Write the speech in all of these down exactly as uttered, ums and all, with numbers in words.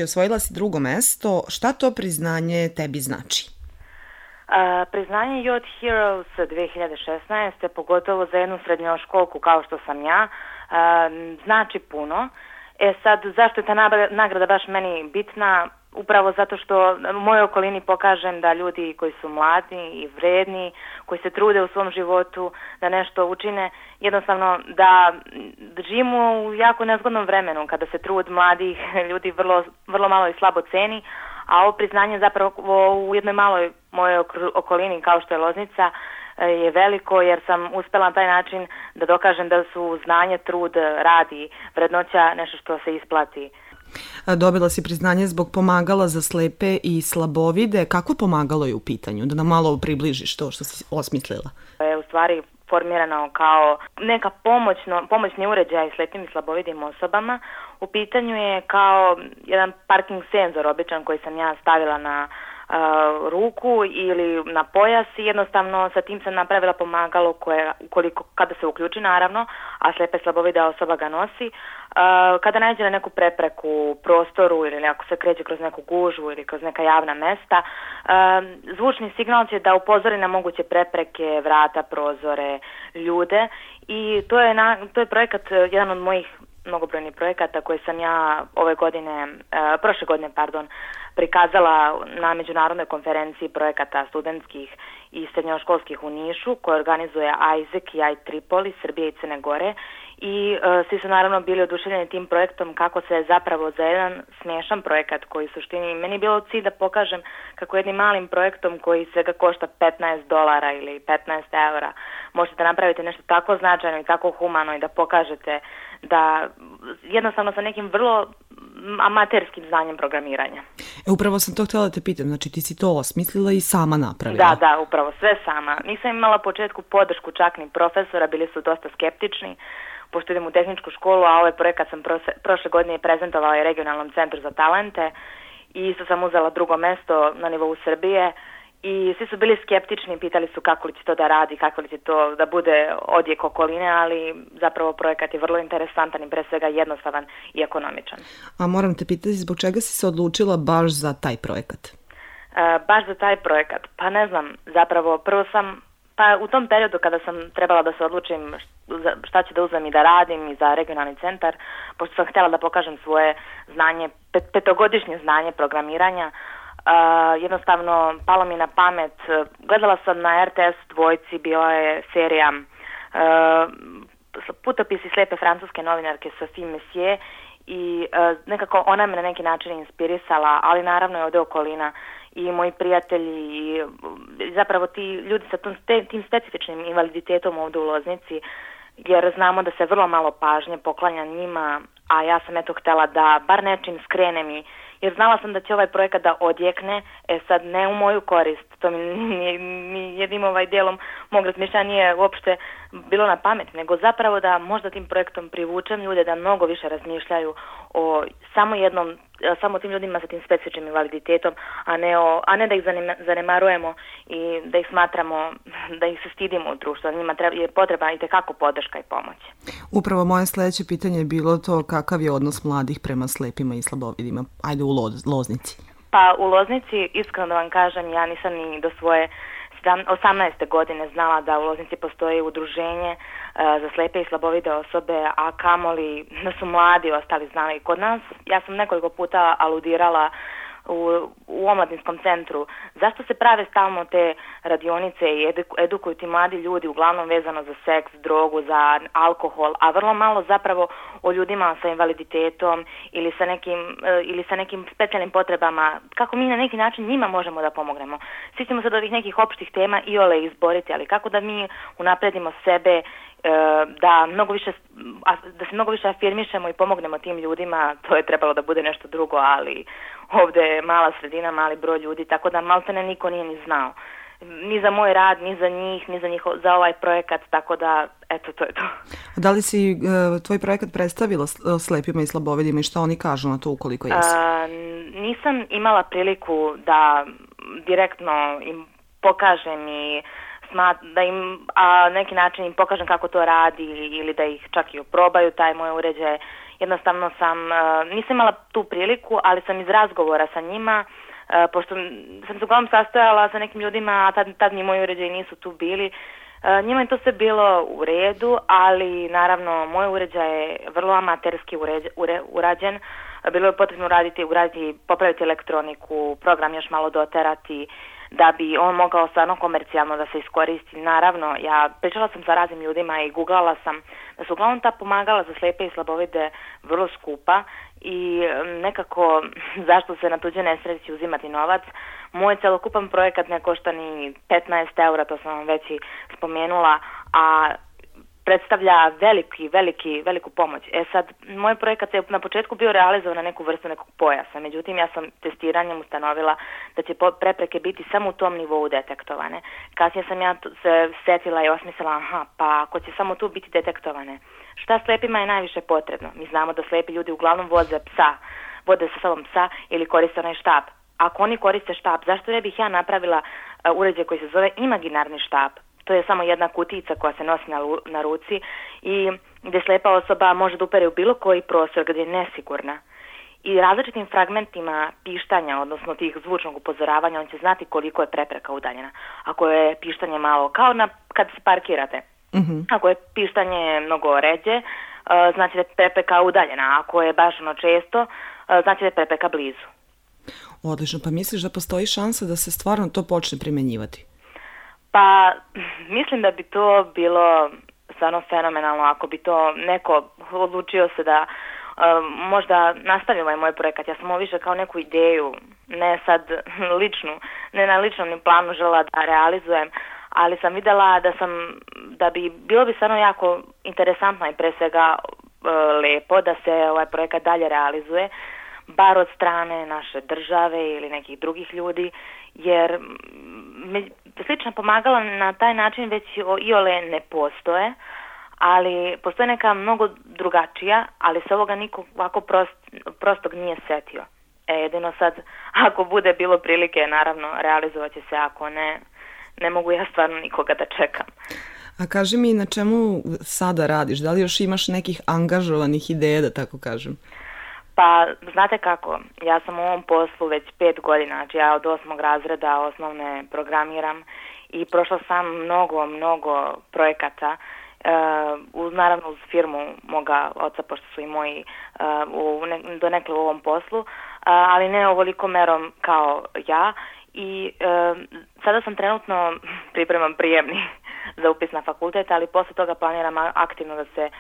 Osvojila si drugo mesto. Šta to priznanje tebi znači? Uh, priznanje Youth Heroes dve hiljade šesnaeste. pogotovo za jednu srednjoškolku kao što sam ja, uh, znači puno. E sad, zašto je ta nagrada baš meni bitna? Upravo zato što u mojoj okolini pokažem da ljudi koji su mladi i vredni, koji se trude u svom životu da nešto učine, jednostavno da živimo u jako nezgodnom vremenu kada se trud mladih ljudi vrlo, vrlo malo i slabo ceni, a ovo priznanje zapravo u jednoj maloj mojoj okolini kao što je Loznica je veliko, jer sam uspela na taj način da dokažem da su znanje, trud, rad i vrednoća nešto što se isplati. Dobila si priznanje zbog pomagala za slepe i slabovide. Kako pomagalo je u pitanju? Da nam malo približiš to što si osmislila. Je u stvari formirano kao neka pomoćno, pomoćni uređaj slepim i slabovidim osobama. U pitanju je kao jedan parking senzor običan koji sam ja stavila na Uh, ruku ili na pojas i jednostavno sa tim sam napravila pomagalo koje, ukoliko, kada se uključi naravno, a slepa i slabovida osoba ga nosi, uh, kada nađe na neku prepreku u prostoru ili ako se kreće kroz neku gužvu ili kroz neka javna mesta, uh, zvučni signal će da upozori na moguće prepreke, vrata, prozore, ljude i to je, na, to je projekat, jedan od mojih mnogobrojnih projekata koje sam ja ove godine, uh, prošle godine, pardon, prikazala na međunarodnoj konferenciji projekata studentskih i srednjoškolskih u Nišu koje organizuje Isaac i I Tripoli, Srbije i Crne Gore i uh, svi su naravno bili oduševljeni tim projektom kako se zapravo za jedan smiješan projekat koji u suštini meni je bilo cilj da pokažem kako jednim malim projektom koji svega košta petnaest dolara ili petnaest eura možete napraviti nešto tako značajno i tako humano i da pokažete da jednostavno sa nekim vrlo amaterskim znanjem programiranja. E, upravo sam to htjela da te pitam, znači ti si to osmislila i sama napravila? Da, da, upravo, sve sama. Nisam imala početku podršku čak ni profesora, bili su dosta skeptični, pošto idem u tehničku školu, a ovaj projekat sam prošle godine prezentovala i regionalnom centru za talente i isto sam uzela drugo mesto na nivou Srbije i svi su bili skeptični, pitali su kako li će to da radi, kako li će to da bude odjek okoline, ali zapravo projekat je vrlo interesantan i pre svega jednostavan i ekonomičan. A moram te pitati, zbog čega si se odlučila baš za taj projekat? E, baš za taj projekat? Pa ne znam, zapravo prvo sam, pa u tom periodu kada sam trebala da se odlučim šta ću da uzmem i da radim i za regionalni centar, pošto sam htjela da pokažem svoje znanje, pet, petogodišnje znanje programiranja, Uh, jednostavno palo mi na pamet, gledala sam na R T S dvojci, bila je serija uh, Putopisi slepe francuske novinarke Sophie Messier i uh, nekako ona me na neki način inspirisala, ali naravno je ovdje okolina i moji prijatelji i zapravo ti ljudi sa tom, tim specifičnim invaliditetom ovdje u Loznici, jer znamo da se vrlo malo pažnje poklanja njima, a ja sam eto htjela da bar nečim skrenem i jer znala sam da će ovaj projekat da odjekne, e sad ne u moju korist, to mi nije, ni jednim ovaj dijelom mog razmišljanja nije uopšte bilo na pamet, nego zapravo da možda tim projektom privučem ljude da mnogo više razmišljaju o samo jednom, samo tim ljudima sa tim specifičnim invaliditetom, a ne, o, a ne da ih zanemarujemo i da ih smatramo, da ih se stidimo u društvu, da njima treba, je potrebna i tekako podrška i pomoć. Upravo moje sljedeće pitanje je bilo to kakav je odnos mladih prema slepima i slabovidima, ajde u Loz, Loznici. Pa u Loznici, iskreno da vam kažem, ja nisam ni do svoje osamnaeste godine znala da u Loznici postoji udruženje uh, za slepe i slabovide osobe, a kamoli da su mladi ostali znali kod nas. Ja sam nekoliko puta aludirala u, u omladinskom centru. Zašto se prave stalno te radionice i edukuju ti mladi ljudi, uglavnom vezano za seks, drogu, za alkohol, a vrlo malo zapravo o ljudima sa invaliditetom ili sa nekim, ili sa nekim specijalnim potrebama, kako mi na neki način njima možemo da pomognemo. Svi ćemo se od ovih nekih opštih tema i ole izboriti, ali kako da mi unapredimo sebe, da mnogo više, da se mnogo više afirmišemo i pomognemo tim ljudima, to je trebalo da bude nešto drugo, ali ovdje je mala sredina, mali broj ljudi, tako da maltene niko nije ni znao. Ni za moj rad, ni za njih, ni za, njih, za ovaj projekat, tako da, eto, to je to. Da li si uh, tvoj projekat predstavila slepima i slabovidima i šta oni kažu na to ukoliko jesu? Uh, nisam imala priliku da direktno im pokažem i da im a neki način im pokažem kako to radi ili da ih čak i oprobaju taj moj uređaj, jednostavno sam, nisam imala tu priliku, ali sam iz razgovora sa njima, pošto sam se uglavnom sastojala sa nekim ljudima, a tad, tad ni moji uređaji nisu tu bili, njima je to sve bilo u redu, ali naravno moj uređaj je vrlo amaterski uređ, ure, urađen, bilo je potrebno raditi, uraditi, popraviti elektroniku, program još malo doterati, da bi on mogao stvarno komercijalno da se iskoristi. Naravno, ja pričala sam sa raznim ljudima i googlala sam da su uglavnom ta pomagala za slepe i slabovide vrlo skupa i nekako zašto se na tuđe nesreći uzimati novac. Moj celokupan projekat ne košta ni petnaest eura, to sam vam već i spomenula, a predstavlja veliki, veliki, veliku pomoć. E sad, moj projekat je na početku bio realizovan na neku vrstu nekog pojasa, međutim ja sam testiranjem ustanovila da će prepreke biti samo u tom nivou detektovane. Kasnije sam ja se setila i osmislila, aha, pa ako će samo tu biti detektovane, šta slepima je najviše potrebno? Mi znamo da slepi ljudi uglavnom voze psa, vode sa sobom psa ili koriste onaj štap. Ako oni koriste štap, zašto ne bih ja napravila uh, uređaj koji se zove imaginarni štap? To je samo jedna kutica koja se nosi na, na ruci i gdje slepa osoba može da upere u bilo koji prostor gdje je nesigurna. I različitim fragmentima pištanja, odnosno tih zvučnog upozoravanja, on će znati koliko je prepreka udaljena. Ako je pištanje malo, kao na, kad se parkirate, mm-hmm. ako je pištanje mnogo ređe, uh, znači da je prepreka udaljena. Ako je baš ono često, uh, znači da je prepreka blizu. Odlično, pa misliš da postoji šansa da se stvarno to počne primjenjivati? Pa, mislim da bi to bilo stvarno fenomenalno ako bi to neko odlučio se da uh, možda nastavi ovaj moj projekat. Ja sam ovo više kao neku ideju, ne sad ličnu, ne na ličnom planu žela da realizujem, ali sam videla da sam, da bi bilo bi stvarno jako interesantno i pre svega uh, lepo da se ovaj projekat dalje realizuje, bar od strane naše države ili nekih drugih ljudi, jer slična pomagala na taj način već iole ne postoje, ali postoje neka mnogo drugačija, ali se ovoga niko ovako prost, prostog nije setio. E, jedino sad, ako bude bilo prilike, naravno, realizovat će se, ako ne, ne mogu ja stvarno nikoga da čekam. A kaži mi, na čemu sada radiš? Da li još imaš nekih angažovanih ideja, da tako kažem? Pa, znate kako, ja sam u ovom poslu već pet godina, znači ja od osmog razreda osnovne programiram i prošla sam mnogo, mnogo projekata, uh, uz, naravno uz firmu moga oca, pošto su i moji uh, u ne, donekle u ovom poslu, uh, ali ne ovoliko merom kao ja i uh, sada sam trenutno pripremam prijemni za upis na fakultet, ali posle toga planiram aktivno da se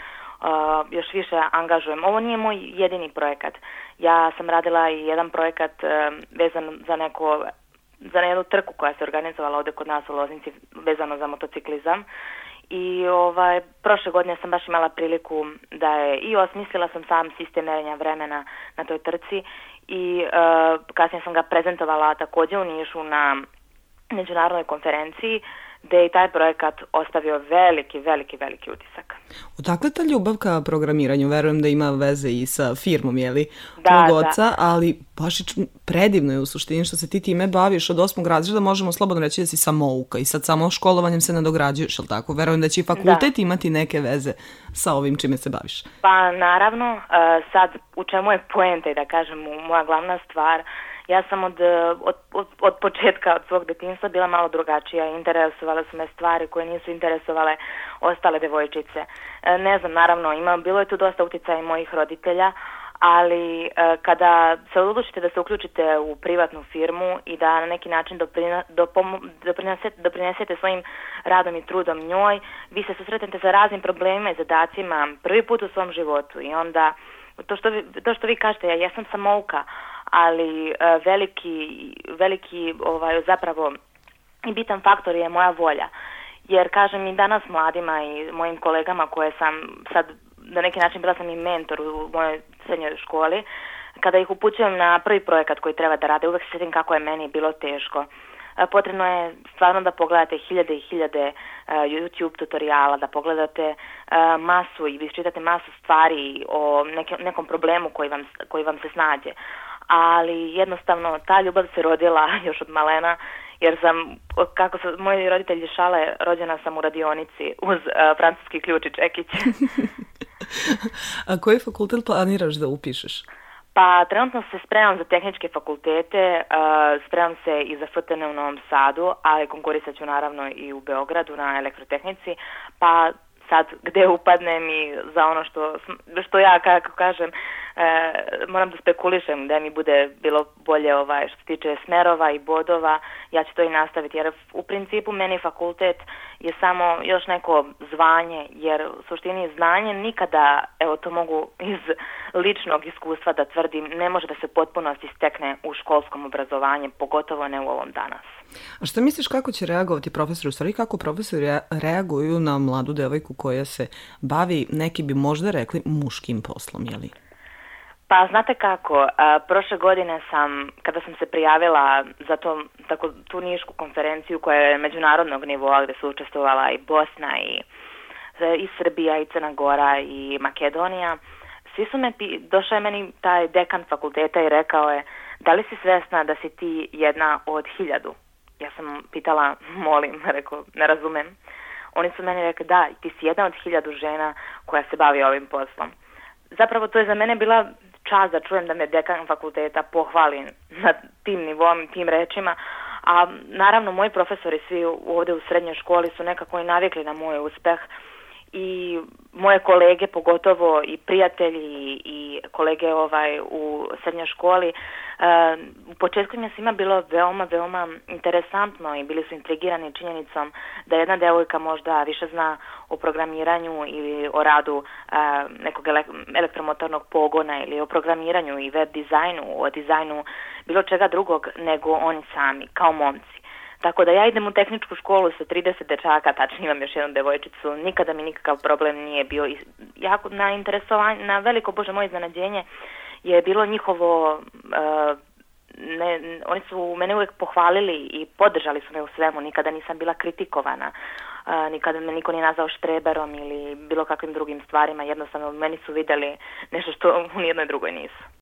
Uh, još više angažujem. Ovo nije moj jedini projekat. Ja sam radila i jedan projekat uh, vezan za neko, za jednu trku koja se organizovala ovdje kod nas u Loznici vezano za motociklizam i ovaj, prošle godine sam baš imala priliku da je i osmislila sam sam sistem merenja vremena na toj trci i uh, kasnije sam ga prezentovala također u Nišu na međunarodnoj konferenciji gdje je taj projekat ostavio veliki, veliki, veliki utisak. Odakle ta ljubav ka programiranju? Verujem da ima veze i sa firmom, jeli, da, tvog oca, da. ali baš predivno je u suštini što se ti time baviš od osmog razreda, možemo slobodno reći da si samouka i sad samo školovanjem se nadograđuješ, jel tako? Verujem da će i fakultet da. imati neke veze sa ovim čime se baviš. Pa naravno, sad u čemu je poenta i da kažem moja glavna stvar. Ja sam od, od, od, od početka, od svog detinjstva bila malo drugačija. Interesovale su me stvari koje nisu interesovale ostale devojčice. Ne znam, naravno, ima, bilo je tu dosta utjecaja i mojih roditelja, ali kada se odlučite da se uključite u privatnu firmu i da na neki način doprina, dopom, doprinesete, doprinesete svojim radom i trudom njoj, vi se susretnete sa raznim problemima i zadacima prvi put u svom životu i onda to što vi, to što vi kažete, ja jesam samouka, ali uh, veliki, veliki ovaj, zapravo i bitan faktor je moja volja. Jer kažem i danas mladima i mojim kolegama koje sam sad na neki način bila sam i mentor u mojoj srednjoj školi, kada ih upućujem na prvi projekat koji treba da rade, uvek se sjetim kako je meni bilo teško. Uh, potrebno je stvarno da pogledate hiljade i hiljade uh, YouTube tutoriala, da pogledate uh, masu i isčitate masu stvari o neke, nekom problemu koji vam, koji vam se snađe. Ali jednostavno ta ljubav se rodila još od malena, jer sam, kako su moji roditelji šale, rođena sam u radionici uz uh, francuski ključ i čekić. A koji fakultet planiraš da upišeš? Pa trenutno se spremam za tehničke fakultete, uh, spremam se i za F T N u Novom Sadu, ali konkurisat ću naravno i u Beogradu na elektrotehnici, pa sad gde upadnem i za ono što, što ja, kako kažem, e, moram da spekulišem gde mi bude bilo bolje ovaj, što se tiče smerova i bodova, ja ću to i nastaviti, jer u principu meni fakultet je samo još neko zvanje, jer u suštini znanje nikada, evo to mogu iz ličnog iskustva da tvrdim, ne može da se potpunosti stekne u školskom obrazovanju, pogotovo ne u ovom danas. A šta misliš kako će reagovati profesori? U stvari kako profesori reaguju na mladu devojku koja se bavi, neki bi možda rekli, muškim poslom, jeli? Pa znate kako, a, prošle godine sam, kada sam se prijavila za to, tako, tu nišku konferenciju koja je međunarodnog nivoa gde su učestvovala i Bosna i, i Srbija i Crna Gora i Makedonija, svi su me, došao je meni taj dekan fakulteta i rekao je, da li si svesna da si ti jedna od hiljadu? Ja sam pitala, molim, rekao, ne razumem. Oni su meni rekli, da, ti si jedna od hiljadu žena koja se bavi ovim poslom. Zapravo to je za mene bila čast da čujem da me dekan fakulteta pohvali na tim nivom, tim rečima, a naravno moji profesori svi ovde u srednjoj školi su nekako i navikli na moj uspeh i moje kolege, pogotovo i prijatelji i kolege ovaj u srednjoj školi, uh, u početku im je svima bilo veoma, veoma interesantno i bili su intrigirani činjenicom da jedna devojka možda više zna o programiranju ili o radu uh, nekog elektromotornog pogona ili o programiranju i web dizajnu, o dizajnu bilo čega drugog nego oni sami, kao momci. Tako da ja idem u tehničku školu sa trideset dečaka, tačnije imam još jednu devojčicu, nikada mi nikakav problem nije bio. Jako na interesovanje, na veliko bože moje iznenađenje je bilo njihovo, uh, ne, oni su mene uvijek pohvalili i podržali su me u svemu, nikada nisam bila kritikovana, uh, nikada me niko nije nazvao štreberom ili bilo kakvim drugim stvarima, jednostavno meni su vidjeli nešto što u nijednoj drugoj nisu.